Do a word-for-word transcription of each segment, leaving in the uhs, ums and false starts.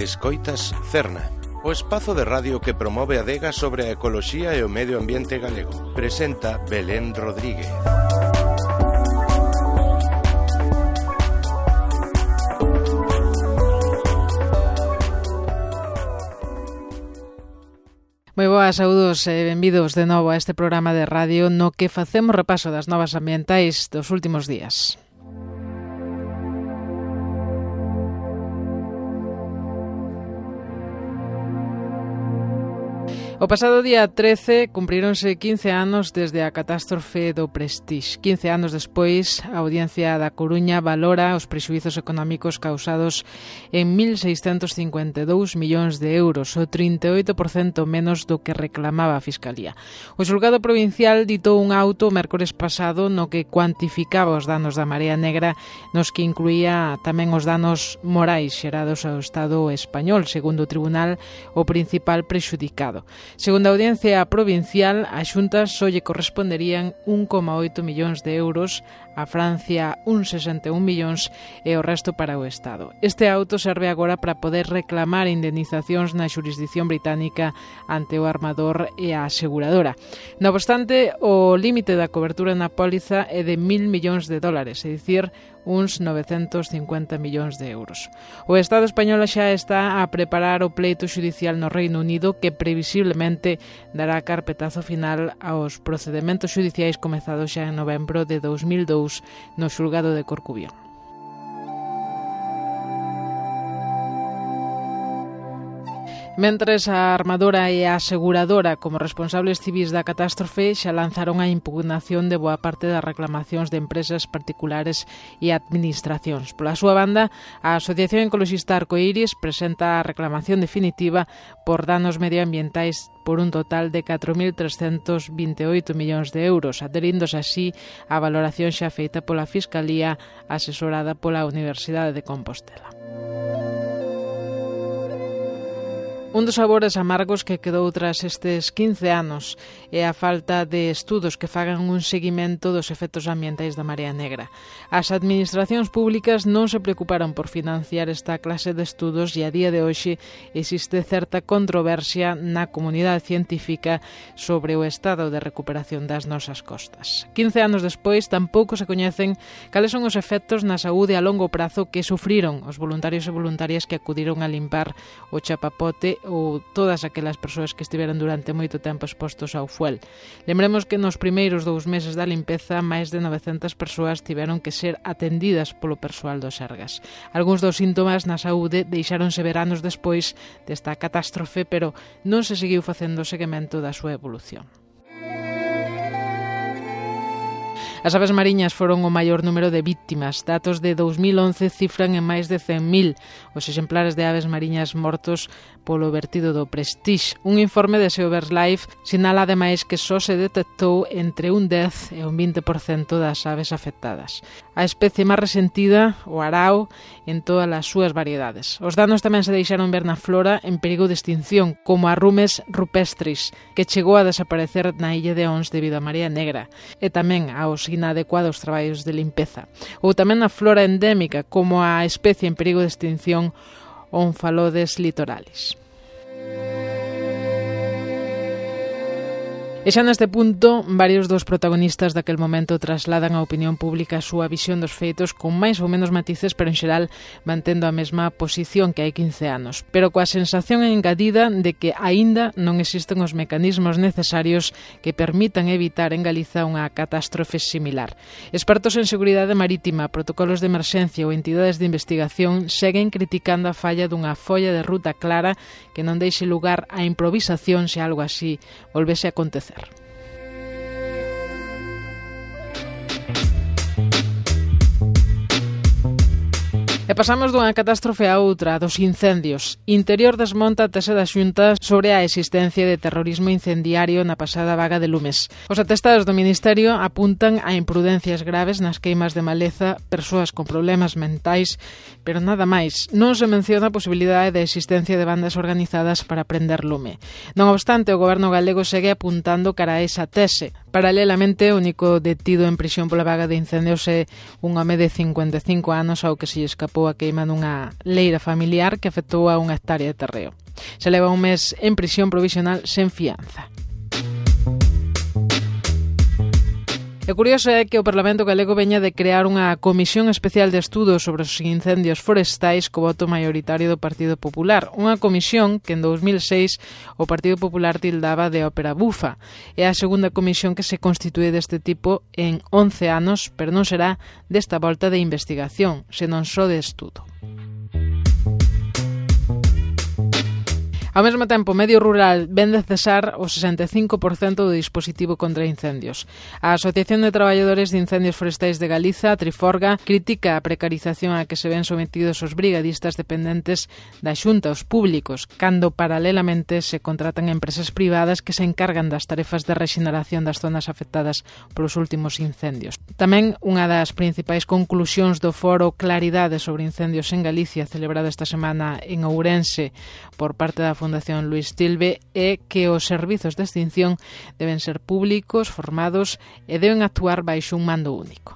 Escoitas Cerna, o espazo de radio que promove a adega sobre a ecoloxía e o medio ambiente galego. Presenta Belén Rodríguez. Moi boas, saúdos e benvidos de novo a este programa de radio no que facemos repaso das novas ambientais dos últimos días. O pasado día trece cumprironse quince anos desde a catástrofe do Prestige. quince anos despois, a Audiencia da Coruña valora os prexuízos económicos causados en mil seiscentos cincuenta e dous millóns de euros, o trinta e oito por cento menos do que reclamaba a Fiscalía. O xulgado provincial ditou un auto o mércores pasado no que cuantificaba os danos da Marea Negra, nos que incluía tamén os danos morais xerados ao Estado español, segundo o tribunal, o principal prexudicado. Segundo a Audiencia Provincial, a Xunta só lle corresponderían un coma oito millóns de euros, a Francia un sesenta e un millóns e o resto para o Estado. Este auto serve agora para poder reclamar indemnizacións na xurisdición británica ante o armador e a aseguradora. Non obstante, o límite da cobertura na póliza é de mil millóns de dólares, é dicir, uns novecentos cincuenta millóns de euros. O Estado español xa está a preparar o pleito xudicial no Reino Unido que previsiblemente dará carpetazo final aos procedementos xudiciais comezados xa en novembro de dous mil dous no xulgado de Corcubión. Mentres a armadora e a aseguradora como responsables civís da catástrofe xa lanzaron a impugnación de boa parte das reclamacións de empresas particulares e administracións. Pola súa banda, a Asociación Ecoloxista Arcoiris presenta a reclamación definitiva por danos medioambientais por un total de catro mil trescentos vinte e oito millóns de euros, adheríndose así á valoración xa feita pola Fiscalía asesorada pola Universidade de Compostela. Un dos sabores amargos que quedou tras estes quince anos é a falta de estudos que fagan un seguimento dos efectos ambientais da Marea Negra. As administracións públicas non se preocuparon por financiar esta clase de estudos e a día de hoxe existe certa controversia na comunidade científica sobre o estado de recuperación das nosas costas. quince anos despois tampouco se coñecen cales son os efectos na saúde a longo prazo que sufriron os voluntarios e voluntarias que acudiron a limpar o chapapote ou todas aquelas persoas que estiveron durante moito tempo expostos ao fuel. Lembremos que nos primeiros dous meses da limpeza máis de novecentas persoas tiveron que ser atendidas polo persoal do Sergas. Algúns dos síntomas na saúde deixáronse ver anos despois desta catástrofe, pero non se seguiu facendo o seguimento da súa evolución. As aves mariñas foron o maior número de víctimas. Datos de dous mil once cifran en máis de cen mil os exemplares de aves mariñas mortos polo vertido do Prestige. Un informe de SeaBirdLife sinala ademais que só se detectou entre un dez e un vinte por cento das aves afectadas. A especie máis resentida, o arao, en todas as súas variedades. Os danos tamén se deixaron ver na flora en perigo de extinción, como a Rumes rupestris, que chegou a desaparecer na illa de Ons debido á Marea Negra, e tamén aos inadecuados traballos de limpeza. Ou tamén a flora endémica, como a especie en perigo de extinción Omphalodes litoralis. E xa neste punto, varios dos protagonistas daquel momento trasladan á opinión pública a súa visión dos feitos con máis ou menos matices, pero en xeral mantendo a mesma posición que hai quince anos, pero coa sensación engadida de que aínda non existen os mecanismos necesarios que permitan evitar en Galiza unha catástrofe similar. Expertos en seguridade marítima, protocolos de emerxencia ou entidades de investigación seguen criticando a falla dunha folla de ruta clara que non deixe lugar á improvisación se algo así volvese a acontecer. E pasamos dunha catástrofe a outra, dos incendios. Interior desmonta a tese da Xunta sobre a existencia de terrorismo incendiario na pasada vaga de lumes. Os atestados do Ministerio apuntan a imprudencias graves nas queimas de maleza, persoas con problemas mentais, pero nada máis. Non se menciona a posibilidade de existencia de bandas organizadas para prender lume. Non obstante, o Goberno galego segue apuntando cara a esa tese. Paralelamente, o único detido en prisión pola vaga de incendios é un home de cincuenta e cinco anos ao que se lle escapou a queima nunha leira familiar que afectou a unha hectárea de terreo. Se leva un mes en prisión provisional sen fianza. E curioso é que o Parlamento galego veña de crear unha comisión especial de estudo sobre os incendios forestais co voto maioritario do Partido Popular. Unha comisión que en dous mil seis o Partido Popular tildaba de ópera bufa. É a segunda comisión que se constitúe deste tipo en once anos, pero non será desta volta de investigación, senón só de estudo. Ao mesmo tempo, o medio rural ven de cesar o sesenta e cinco por cento do dispositivo contra incendios. A Asociación de Traballadores de Incendios Forestais de Galiza, Triforga, critica a precarización a que se ven sometidos os brigadistas dependentes da Xunta, os públicos, cando paralelamente se contratan empresas privadas que se encargan das tarefas de rexeneración das zonas afectadas polos últimos incendios. Tamén unha das principais conclusións do foro Claridade sobre incendios en Galicia, celebrado esta semana en Ourense por parte da Fundación Luís Tilbe, é que os servizos de extinción deben ser públicos, formados e deben actuar baixo un mando único.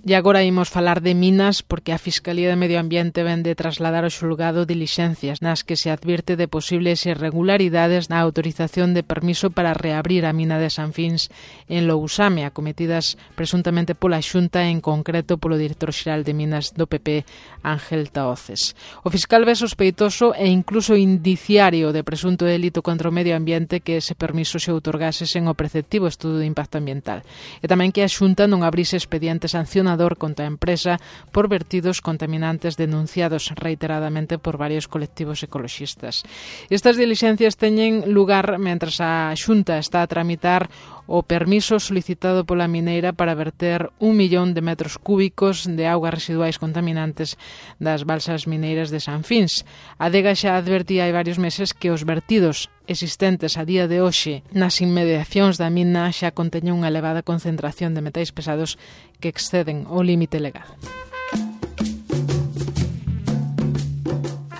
E agora imos falar de minas porque a Fiscalía de Medio Ambiente ven de trasladar ao xulgado dilixencias nas que se advirte de posibles irregularidades na autorización de permiso para reabrir a mina de Sanfins en Lousame, acometidas presuntamente pola Xunta, en concreto polo director xeral de Minas do P P, Ángel Tahoces. O fiscal ve sospeitoso e incluso indiciario de presunto delito contra o medio ambiente que ese permiso se outorgase sen o preceptivo estudo de impacto ambiental. E tamén que a Xunta non abrise expediente sancionador contra a empresa por vertidos contaminantes denunciados reiteradamente por varios colectivos ecoloxistas. Estas dilixencias teñen lugar mentras a Xunta está a tramitar o permiso solicitado pola mineira para verter un millón de metros cúbicos de augas residuais contaminantes das balsas mineiras de Sanfins. A Adega xa advertía hai varios meses que os vertidos existentes a día de hoxe nas inmediacións da mina xa conteñen unha elevada concentración de metais pesados que exceden o límite legal.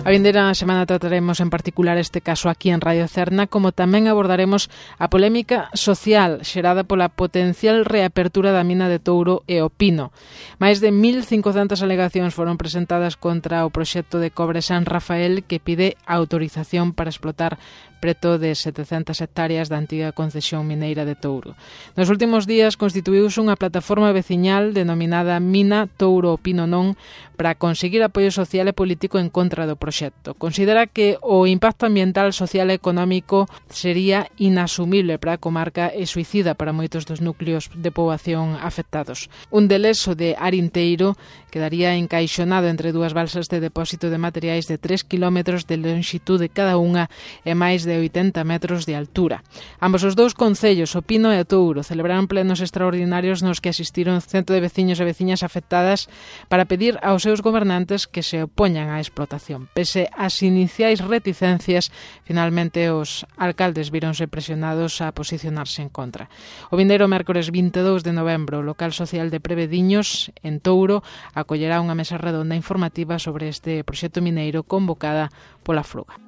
A vindeira semana trataremos en particular este caso aquí en Radio Cerna, como tamén abordaremos a polémica social xerada pola potencial reapertura da mina de Touro e o Pino. Máis de mil cincocentas alegacións foron presentadas contra o proxecto de cobre San Rafael, que pide autorización para explotar preto de setecentas hectáreas da antiga concesión mineira de Touro. Nos últimos días constituíuse unha plataforma veciñal denominada Mina Touro o Pino Non para conseguir apoio social e político en contra do proxecto. Considera que o impacto ambiental, social e económico sería inasumible para a comarca e suicida para moitos dos núcleos de poboación afectados. Un deles, o de Arinteiro, quedaría encaixonado entre dúas balsas de depósito de materiais de tres kilómetros de longitude cada unha e máis de oitenta metros de altura. Ambos os dous concellos, o Pino e o Touro, celebraron plenos extraordinarios nos que asistiron cento de veciños e veciñas afectadas para pedir aos seus gobernantes que se opoñan á explotación. Pese ás iniciais reticencias, finalmente os alcaldes víronse presionados a posicionarse en contra. O vindeiro mércores vinte e dous de novembro, o local social de Prevediños, en Touro, acollerá unha mesa redonda informativa sobre este proxecto mineiro convocada pola Fruga.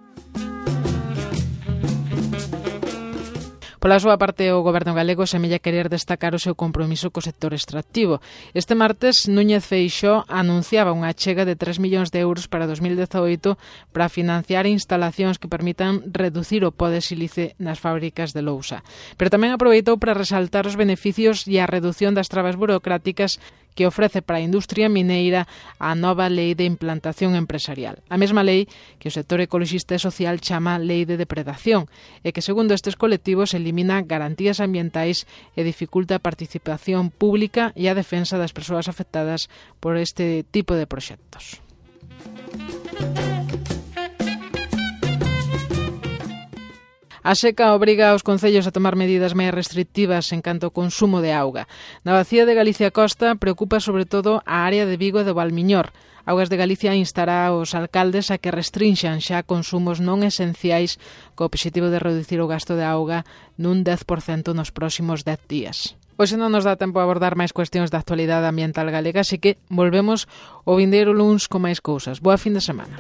Pola súa parte, o Goberno galego semella querer destacar o seu compromiso co sector extractivo. Este martes, Núñez Feixóo anunciaba unha achega de tres millóns de euros para dos mil dezaoito para financiar instalacións que permitan reducir o pó de sílice nas fábricas de lousa. Pero tamén aproveitou para resaltar os beneficios e a reducción das trabas burocráticas que ofrece para a industria mineira a nova lei de implantación empresarial. A mesma lei que o sector ecoloxista e social chama Lei de Depredación e que, segundo estes colectivos, elimina garantías ambientais e dificulta a participación pública e a defensa das persoas afectadas por este tipo de proxectos. A seca obriga aos concellos a tomar medidas máis restrictivas en canto ao consumo de auga. Na bacía de Galicia Costa preocupa sobre todo a área de Vigo e do Valmiñor. Augas de Galicia instará aos alcaldes a que restrinxan xa consumos non esenciais co obxectivo de reducir o gasto de auga nun dez por cento nos próximos dez días. Hoxe non nos dá tempo a abordar máis cuestións da actualidade ambiental galega, así que volvemos o vindeiro luns con máis cousas. Boa fin de semana.